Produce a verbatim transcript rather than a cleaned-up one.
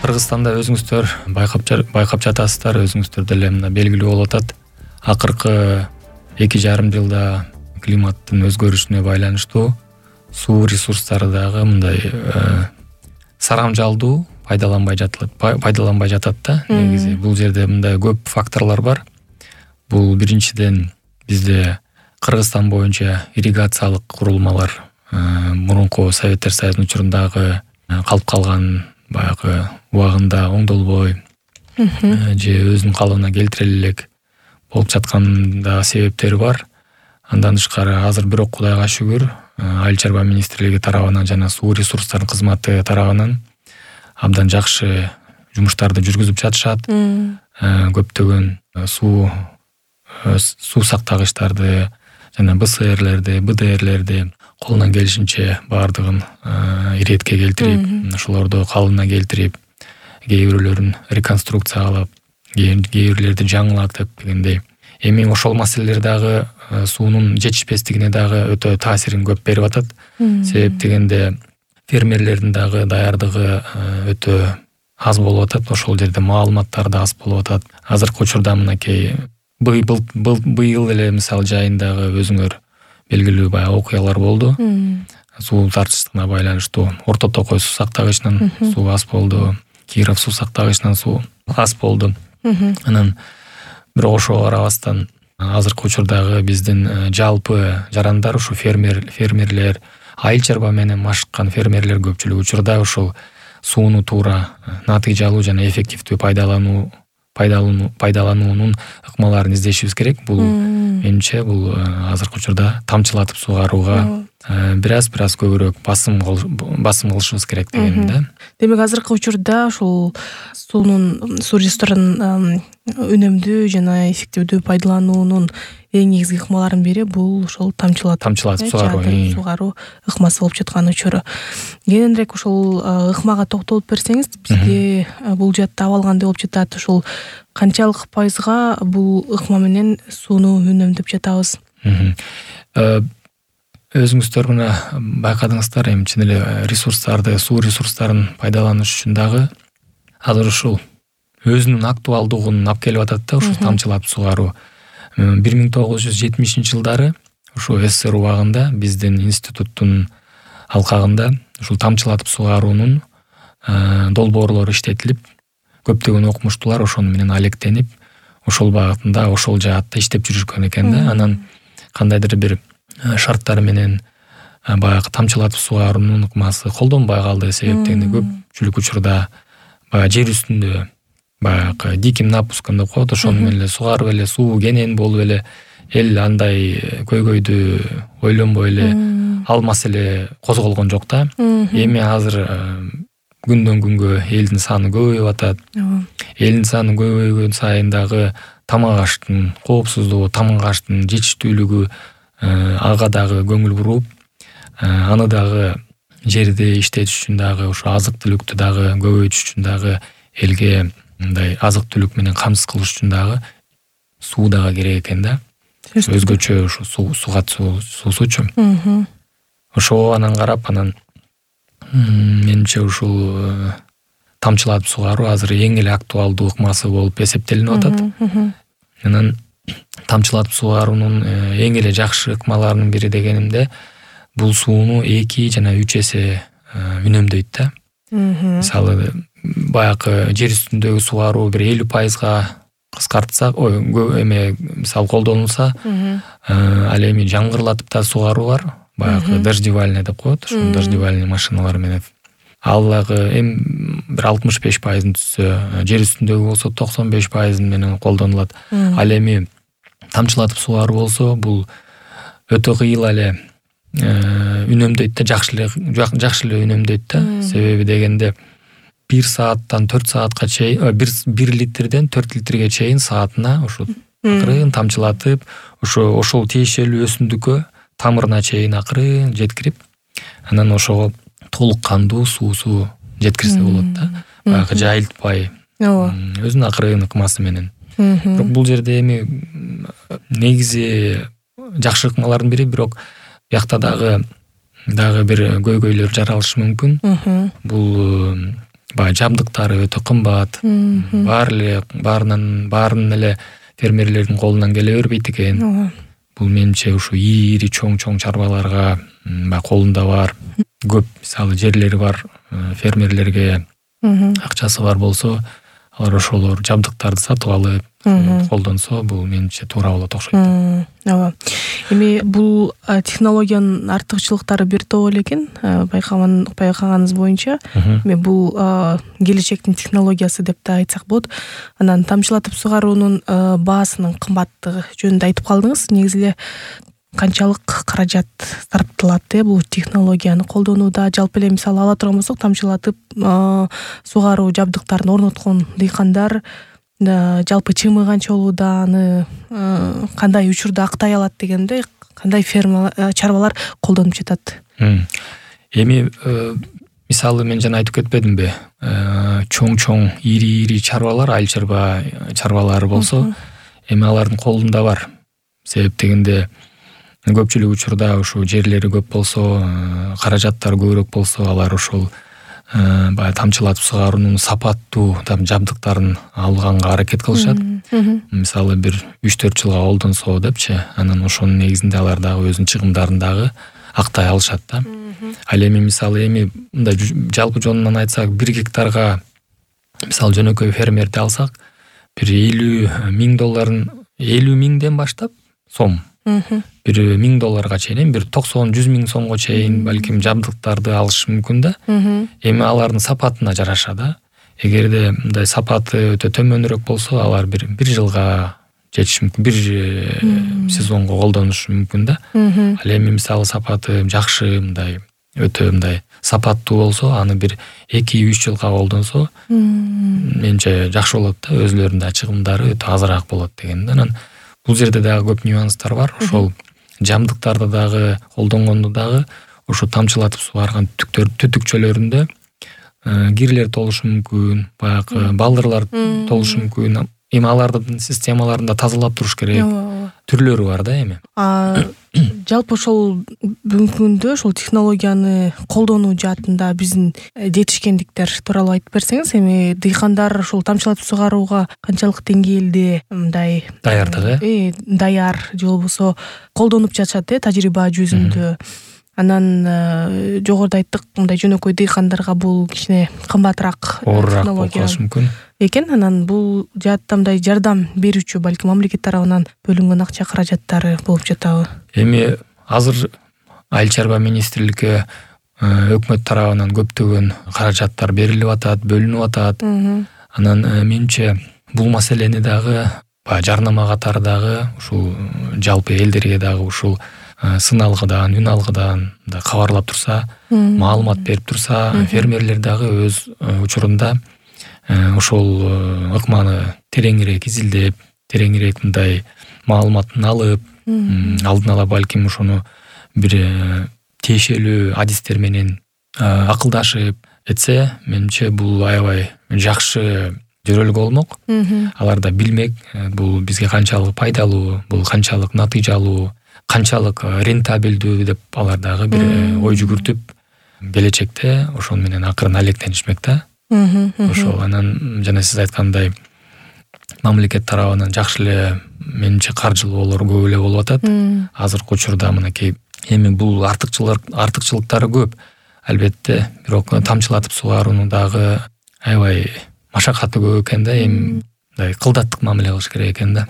Кыргызстанда өзүңүздөр байкап байкап жатасыздар, өзүңүздөр деле мына белгилүү болуп атат. Акыркы эки жарым жылда климаттын өзгөрүшүнө байланыштуу суу ресурстары дагы мындай сарамжалдуу пайдаланбай жатат, пайдаланбай жатат да. Негизи бул жерде мындай көп факторлор бар. Бул биринчиден бизде Кыргызстан боюнча ирригациялык курулмалар мурунку Советтер Союзунун учурундагы калып калган баягы убагында оңдолбой же өзүнүн калыбына келтире элек болуп жатканда себептери бар. Андан тышкары азыр бирок Кудайга шүгүр Айыл чарба министрлиги тарабынан жана суу ресурстарын кызматы тарабынан абдан жакшы жумуштарды жүргүзүп жатышат. Көптөгөн суу суу сактагычтарды жана бэ эс эрлерди, бэ дэ эрлерди колунан келишинче баардыгын иретке келтирип, ошолорду калыбына келтирип, кээ бирлөрүн реконструкциялап, кээ бирлерди жаңылатып дегендей. Эми ошол маселелер дагы суунун жетишпестигине дагы өтө таасирин көп берип атат. Себеп дегенде фермерлердин дагы даярдыгы өтө аз болуп атат. Ошол жерде маалыматтар да аз болуп атат. Азыркы учурда мынакей быйыл эле мисалы жайындагы өзүңөр белгилүү баягы окуялар болду. Суу тартыштыгына байланыштуу Орто Токой суу сактагычынан суу аз болду, Киров суу сактагычынан суу аз болду. Анан бирок ошого карабастан азыркы учурдагы биздин жалпы жарандар, ушу фермер фермерлер, айыл чарба менен машыккан фермерлер көпчүлүк учурда ошол сууну туура натыйжалуу жана эффективдүү пайдалануу пайдалануу пайдалануунун ыкмаларын издешибиз керек. Бул менимче бул азыркы учурда тамчылатып суугарууга бир аз бир аз көбүрөөк басым басым кылышыбыз керек дегеним да. Демек азыркы учурда ушул суунун суу ресурстарын үнөмдүү жана эффективдүү пайдалануунун эң негизги ыкмаларынын бири бул ошол тамчылатып тамчылатып суугаруу суугаруу ыкмасы болуп жаткан учуру. Кененирээк ошол ыкмага токтолуп берсеңиз, бизде бул жаатта абалгандай болуп жатат. Ошол канчалык пайызга бул ыкма менен сууну үнөмдөп жатабыз? Өзүңүздөр мына байкадыңыздар, эми чын эле ресурстарды, суу ресурстарын пайдаланыш үчүн дагы азыр ушул өзүнүн актуалдуулугун алып келип атат да, ушул тамчылатып суугаруу. бир миң тогуз жүз жетимишинчи жылдары ушу эс эс эс эр убагында биздин институттун алкагында ушул тамчылатып суугаруунун долбоорлору иштетилип, көптөгөн окумуштуулар ошону менен алектенип, ошол багытында, ошол жаатта иштеп жүрүшкөн экен да. Анан кандайдыр бир шарттар менен баягы тамчылатып суугаруунун ыкмасы колдонбой калды. Себеп дегенде көпчүлүк учурда баягы жер үстүндө баягы диким напускан деп коет, ошону менен эле сугарып эле суу кенен болуп эле эл андай көйгөйдү ойлонбой эле ал маселе козголгон жок да. Эми азыр күндөн күнгө элдин саны көбөйүп атат. Элдин саны көбөйгөн сайын дагы тамак аштын коопсуздугу, тамак аштын жетиштүүлүгү ага дагы көңүл буруп, аны дагы жерди иштетиш үчүн дагы, ошо азык түлүктү дагы көбөйтүш үчүн дагы, элге мындай азык түлүк менен камсыз кылыш үчүн дагы суу дагы керек экен да. Өзгөчө ушу суу сугат суусучу. Ошого анан карап, анан менимче ушул тамчылатып суугаруу азыр эң эле актуалдуу ыкмасы болуп эсептелинип атат. Анан тамчылатып суугаруунун эң эле жакшы ыкмаларынын бири дегенимде бул сууну эки жана үч эсе үнөмдөйт да. Мисалы баягы жер үстүндөгү суугаруу бир элүү пайызга кыскартсак, ой, эме мисалы колдонулса, ал эми жаңгырлатып да суугаруу бар. Баягы дождевальный деп коет, ошо дождевальный машиналар менен. Ал дагы эми бир алтымыш беш пайызын түзсө, жер үстүндөгү болсо токсон беш пайыз менен колдонулат. Ал эми тамчылатып суугаруу болсо, бул өтө кыйыл эле үнөмдөйт да, жакшы эле жакшы эле үнөмдөйт да. Себеби дегенде бир сааттан төрт саатка чейин, бир литрден төрт литрге чейин саатына ушу акырын тамчылатып, ошо ошол тиешелүү өсүмдүккө тамырына чейин акырын жеткирип, анан ошого толук кандуу суусу жеткирсе болот да. Баягы жайылтпай, өзүнүн акырын ыкмасы менен. Бирок бул жерде эми негизи жакшы ыкмалардын бири, бирок бияқта дагы дагы бир көйгөйлөр жаралышы мүмкүн. Бул баягы жабдыктары өтө кымбат. Баары эле баарынан баарын эле фермерлердин колунан келе бербейт экен. Бул менимче ушу ири чоң-чоң чарбаларга баягы колунда бар, көп мисалы жерлери бар фермерлерге акчасы бар болсо, алар ошолор жабдыктарды сатып алып колдонсо, бул менимче туура болот окшойт. Ооба. Эми бул технологиянын артыкчылыктары бир топ эле экен. Байкаган байкаганыңыз боюнча, эми бул келечектин технологиясы деп да айтсак болот. Анан тамчылатып сугаруунун баасынын кымбаттыгы жөнүндө айтып калдыңыз. Негизи эле канчалык каражат сарпталат э бул технологияны колдонууда? Жалпы эле мисалы ала турган болсок, тамчылатып сугаруу жабдыктарын орноткон дыйкандар жалпы чымы канча болууда, аны кандай учурда актай алат дегенде, кандай ферма чарбалар колдонуп жатат? Эми мисалы мен жана айтып кетпедимби? Чоң-чоң, ири-ири чарбалар, айыл чарба чарбалары болсо, эми алардын колунда бар. Себеп дегенде көпчүлүк учурда ушу жерлери көп болсо, каражаттары көбүрөөк болсо, алар ошол баягы тамчылатып сугаруунун сапаттуу жабдыктарын алганга аракет кылышат. Мисалы бир үч төрт жылга колдонсо депчи, анан ошонун негизинде алар дагы өзүнүн чыгымдарын дагы актай алышат да. Ал эми мисалы эми мындай жалпы жонунан айтсак, бир гектарга мисалы жөнөкөй фермерди алсак, бир элүү миң долларын элүү миңден баштап сом, бир миң долларга чейин, бир токсон жүз миң сомго чейин балким жабдыктарды алышы мүмкүн да. Эми алардын сапатына жараша да. Эгерде мындай сапаты өтө төмөнүрөөк болсо, алар бир бир жылга жетиши мүмкүн, бир сезонго колдонушу мүмкүн да. Ал эми мисалы сапаты жакшы, мындай өтө мындай сапаттуу болсо, аны бир эки үч жылга колдонсо, менче жакшы болот да, өзүлөрүнүн да чыгымдары өтө азыраак болот деген. Анан бул жерде дагы көп нюанстар бар. Ошол жабдыктарды дагы колдонгондо дагы ошо тамчылатып сугарган түтүктөр түтүкчөлөрүндө кирлер толушу мүмкүн, баягы балдырлар толушу мүмкүн. Эми алардын системаларында тазалап туруш керек. Түрлөрү бар да эми. Жалпы ошол бүгүнкү күндө ошол технологияны колдонуу жаатында биздин жетишкендиктер тууралуу айтып берсеңиз, эми дыйкандар ошол тамчылатып сугарууга канчалык деңгээлде мындай даярдык э даяр же болбосо колдонуп жатышат э тажрыйба жүзүндө. Анан жогоруда айттык, мындай жөнөкөй дыйкандарга бул кичине кымбатыраак технология болушу мүмкүн экен. Анан бул жаатта мындай жардам берүүчү балким мамлекет тарабынан бөлүнгөн акча каражаттары болуп жатабы? Эми азыр айыл чарба министрликке өкмөт тарабынан көптөгөн каражаттар берилип атат, бөлүнүп атат. Анан менимче бул маселени дагы баягы жарнама катары дагы ушул жалпы элдерге дагы ушул сын алгыдан, үн алгыдан кабарлап турса, маалымат берип турса, фермерлер дагы өз учурунда ошол ыкманы тереңирээк изилдеп, тереңирээк мындай маалыматын алып, алдын ала балким ошону бир тиешелүү адистер менен акылдашып этсе, менимче бул аябай жакшы жөрөлгө болмок. Алар да билмек, бул бизге канчалык пайдалуу, бул канчалык натыйжалуу, канчалык рентабелдүү деп алар дагы бир ой жүгүртүп, келечекте ошол менен акырын алектенишмек да. Ошол анан жана сиз айткандай мамлекет тарабынан жакшы эле менимче каржылоолор көп эле болуп атат. Азыркы учурда мынакей эми бул артыкчылык артыкчылыктары көп. Албетте, бирок тамчылатып сугаруунун дагы аябай машакаты көп экен да, эми мындай кылдаттык мамиле кылыш керек экен да.